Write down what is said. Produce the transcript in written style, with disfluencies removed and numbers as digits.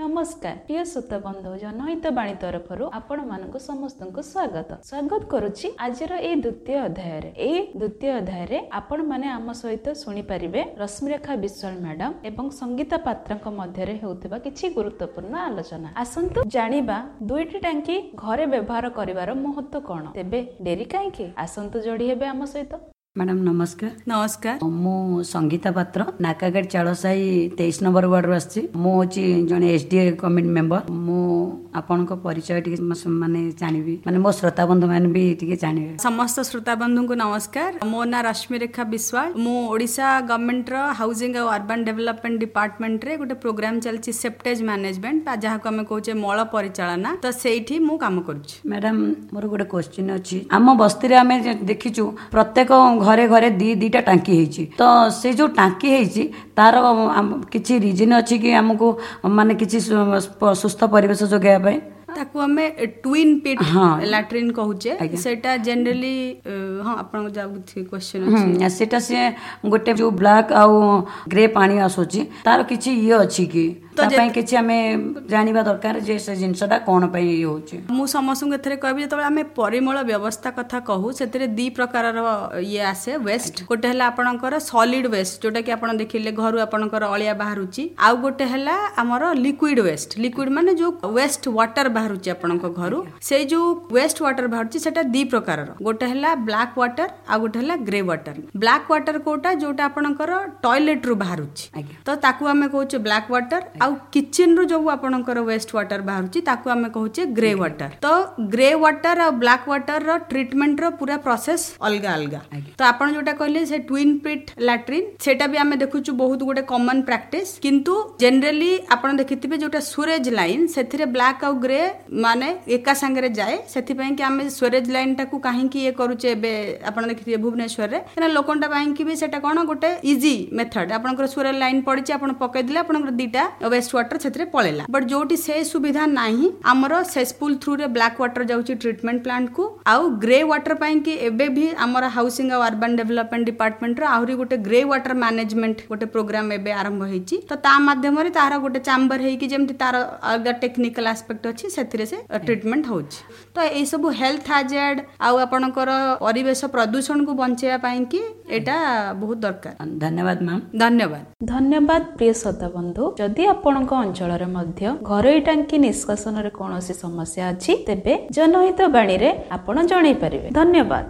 ନମସ୍କାର ପ୍ରିୟ ଶ୍ରୋତା ବନ୍ଧୁ, ଜନହିତ ବାଣୀ ତରଫରୁ ଆପଣମାନଙ୍କୁ ସମସ୍ତଙ୍କୁ ସ୍ୱାଗତ ସ୍ୱାଗତ କରୁଛି ଆଜିର ଏଇ ଦ୍ୱିତୀୟ ଅଧ୍ୟାୟରେ। ଏଇ ଦ୍ୱିତୀୟ ଅଧ୍ୟାୟରେ ଆପଣମାନେ ଆମ ସହିତ ଶୁଣିପାରିବେ ରଶ୍ମିରେଖା ବିଶ୍ୱାଳ ମ୍ୟାଡାମ ଏବଂ ସଙ୍ଗୀତା ପାତ୍ରଙ୍କ ମଧ୍ୟରେ ହେଉଥିବା କିଛି ଗୁରୁତ୍ୱପୂର୍ଣ୍ଣ ଆଲୋଚନା। ଆସନ୍ତୁ ଜାଣିବା ଦୁଇଟି ଟାଙ୍କି ଘରେ ବ୍ୟବହାର କରିବାର ମହତ୍ଵ କଣ। ତେବେ ଡେରି କାହିଁକି, ଆସନ୍ତୁ ଯୋଡି ହେବେ ଆମ ସହିତ। ମ୍ୟାଡ଼ାମ ନମସ୍କାର। ନମସ୍କାର। ମୁଁ ସଙ୍ଗୀତା ପାତ୍ର, ନାକାଗାଡ଼ି ଚାଳସାହି 23 ନମ୍ବର ୱାର୍ଡରୁ ଆସିଛି। ମୁଁ ହେଉଛି ଜଣେ SDA committee member. ମୁଁ ଆପଣଙ୍କ ପରିଚୟ ଟିକେ ମାନେ ଜାଣିବି, ମାନେ ମୋ ଶ୍ରୋତା ବନ୍ଧୁମାନେ ବି ଟିକେ ଜାଣିବେ। ସମସ୍ତ ଶ୍ରୋତା ବନ୍ଧୁଙ୍କୁ ନମସ୍କାର। ମୋ ନାଁ ରଶ୍ମିରେଖା ବିଶ୍ୱାଳ। ମୁଁ ଓଡ଼ିଶା ଗଭର୍ଣ୍ଣମେଣ୍ଟର ହାଉସିଂ ଆଉ ଅର୍ବାନ ଡେଭଲପମେଣ୍ଟ ଡିପାର୍ଟମେଣ୍ଟରେ ଗୋଟେ ପ୍ରୋଗ୍ରାମ ଚାଲିଛି ସେପ୍ଟେଜ ମ୍ୟାନେଜମେଣ୍ଟ, ବା ଯାହାକୁ ଆମେ କହୁଛେ ମଳ ପରିଚାଳନା, ତ ସେଇଠି ମୁଁ କାମ କରୁଛି। ମ୍ୟାଡ଼ାମ, ମୋର ଗୋଟେ କ୍ୱେଶ୍ଚିନ୍ ଅଛି। ଆମ ବସ୍ତିରେ ଆମେ ଦେଖିଛୁ ପ୍ରତ୍ୟେକ ଘରେ ଘରେ 2-2ଟା ଟାଙ୍କି ହେଇଛି। ତ ସେ ଯୋଉ ଟାଙ୍କି ହେଇଛି ତାର କିଛି ରିଜନ୍ ଅଛି କି ଆମକୁ ମାନେ କିଛି ସୁସ୍ଥ ପରିବେଶ ଯୋଗାଇବା ପାଇଁ? ତାକୁ ଆମେ ଟ୍ୱିନ୍ ପିଟ୍ ଲାଟ୍ରିନ୍ କହୁଛେ। ସେଇଟା ଜେନେରାଲି, ହଁ, ଆପଣଙ୍କ ଯାହା କ୍ୱେଶ୍ଚନ୍ ଅଛି। ସେଇଟା ସିଏ ଗୋଟେ ଯୋଉ ବ୍ଲାକ୍ ଆଉ ଗ୍ରେ ପାଣି ଆସୁଛି, ତାର କିଛି ଇଏ ଅଛି କି? ତା ପାଇଁ କିଛି ଆମେ ଜାଣିବା ଦରକାର ଯେ ସେ ଜିନିଷଟା କଣ ପାଇଁ ଇଏ ହଉଛି। ମୁଁ ସମସ୍ତଙ୍କୁ ଏଥିରେ କହିବି, ଯେତେବେଳେ ଆମେ ପରିମଳ ବ୍ୟବସ୍ଥା କଥା କହୁ ସେଥିରେ 2 ପ୍ରକାରର ଇଏ ଆସେ ୱେଷ୍ଟ। ଗୋଟେ ହେଲା ଆପଣଙ୍କର ସଲିଡ୍ ୱେଷ୍ଟ, ଯୋଉଟା କି ଆପଣ ଦେଖିଲେ ଘରୁ ଆପଣଙ୍କର ଅଳିଆ ବାହାରୁଛି। ଆଉ ଗୋଟେ ହେଲା ଆମର ଲିକ୍ୱିଡ ୱେଷ୍ଟ। ଲିକ୍ୱିଡ ମାନେ ଯୋଉ ୱେଷ୍ଟ ୱାଟର ବାହାରୁଛି ଆପଣଙ୍କ ଘରୁ, ସେଇ ଯୋଉ ୱେଷ୍ଟ ୱାଟର ବାହାରୁଛି ସେଟା 2 ପ୍ରକାରର। ଗୋଟେ ହେଲା ବ୍ଲାକ୍ ୱାଟର ଆଉ ଗୋଟେ ହେଲା ଗ୍ରେ ୱାଟର। ବ୍ଲାକ୍ ୱାଟର କୋଉଟା? ଯୋଉଟା ଆପଣଙ୍କର ଟଏଲେଟ ରୁ ବାହାରୁଛି, ତ ତାକୁ ଆମେ କହୁଛେ ବ୍ଲାକ୍ ୱାଟର। ଆଉ କିଚେନ ରୁ ଯୋଉ ଆପଣଙ୍କର ୱେଷ୍ଟ ୱାଟର ବାହାରୁଛି ତାକୁ ଆମେ କହୁଛେ ଗ୍ରେ ୱାଟର। ତ ଗ୍ରେ ୱାଟର ଆଉ ବ୍ଲାକ୍ ୱାଟର ର ଟ୍ରିଟମେଣ୍ଟ ର ପୁରା ପ୍ରୋସେସ ଅଲଗା ଅଲଗା। ତ ଆପଣ ଯୋଉଟା କହିଲେ ସେ ଟ୍ୱିନ୍ ପିଟ୍ ଲାଟ୍ରିନ୍, ସେଇଟା ବି ଆମେ ଦେଖୁଛୁ ବହୁତ ଗୋଟେ କମନ ପ୍ରାକ୍ଟିସ। କିନ୍ତୁ ଜେନେରାଲି ଆପଣ ଦେଖିଥିବେ ଯୋଉଟା ସୁରେଜ ଲାଇନ, ସେଥିରେ ବ୍ଲାକ୍ ଆଉ ଗ୍ରେ ମାନେ ଏକା ସାଙ୍ଗରେ ଯାଏ। ସେଥିପାଇଁ କି ଆମେ ସ୍ୱେରେଜ ଲାଇନ ଟାକୁ କାହିଁକି ଇଏ କରୁଛେ ଏବେ ଆପଣ ଦେଖିଥିବେ ଭୁବନେଶ୍ୱରରେ, କାହିଁକିନା ଲୋକଙ୍କ ପାଇଁକି ବି ସେଟା କଣ ଗୋଟେ ଇଜି ମେଥଡ। ଆପଣଙ୍କର ସ୍ୱେରେଜ ଲାଇନ ପଡିଛି, ଆପଣ ପକେଇଦେଲେ ଆପଣଙ୍କର 2ଟା ୱେଷ୍ଟ ୱାଟର ସେଥିରେ ପଳେଇଲା। ବଟ୍ ଯୋଉଠି ସେ ସୁବିଧା ନାହିଁ, ଆମର ସେସ୍ପୁଲ ଥ୍ରୁରେ ବ୍ଲାକ୍ ୱାଟର ଯାଉଛି ଟ୍ରିଟମେଣ୍ଟ ପ୍ଲାଣ୍ଟକୁ। ଆଉ ଗ୍ରେ ୱାଟର ପାଇଁକି ଏବେ ବି ଆମର ହାଉସିଂ ଆଉ ଅର୍ବାନ ଡେଭଲପମେଣ୍ଟ ଡିପାର୍ଟମେଣ୍ଟର ଆହୁରି ଗୋଟେ ଗ୍ରେ ୱାଟର ମ୍ୟାନେଜମେଣ୍ଟ ଗୋଟେ ପ୍ରୋଗ୍ରାମ ଏବେ ଆରମ୍ଭ ହେଇଛି। ତ ତା ମାଧ୍ୟମରେ ତାର ଗୋଟେ ଚାମ୍ବର ହେଇକି ଯେମିତି ତାର ଅଲଗା ଟେକ୍ନିକାଲ ଆସ୍ପେକ୍ଟ ଅଛି, ସେଥିରେ ସେ ଟ୍ରିଟମେଣ୍ଟ ହଉଛି। ତ ଏଇସବୁ ହେଲ୍ଥ ହାଜାର୍ଡ ଆଉ ଆପଣଙ୍କର ପରିବେଶ ପ୍ରଦୂଷଣକୁ ବଞ୍ଚେଇବା ପାଇଁକି ଏଇଟା ବହୁତ ଦରକାର। ଧନ୍ୟବାଦ ମ୍ୟାମ୍। ଧନ୍ୟବାଦ। ଧନ୍ୟବାଦ ପ୍ରିୟ ଶ୍ରୋତା ବନ୍ଧୁ। ଯଦି ଆପଣଙ୍କ ଅଞ୍ଚଳରେ ମଧ୍ୟ ଘରୋଇ ଟାଙ୍କି ନିଷ୍କାସନରେ କୌଣସି ସମସ୍ୟା ଅଛି, ତେବେ ଜନହିତ ବାଣୀରେ ଆପଣ ଜଣାଇ ପାରିବେ। ଧନ୍ୟବାଦ।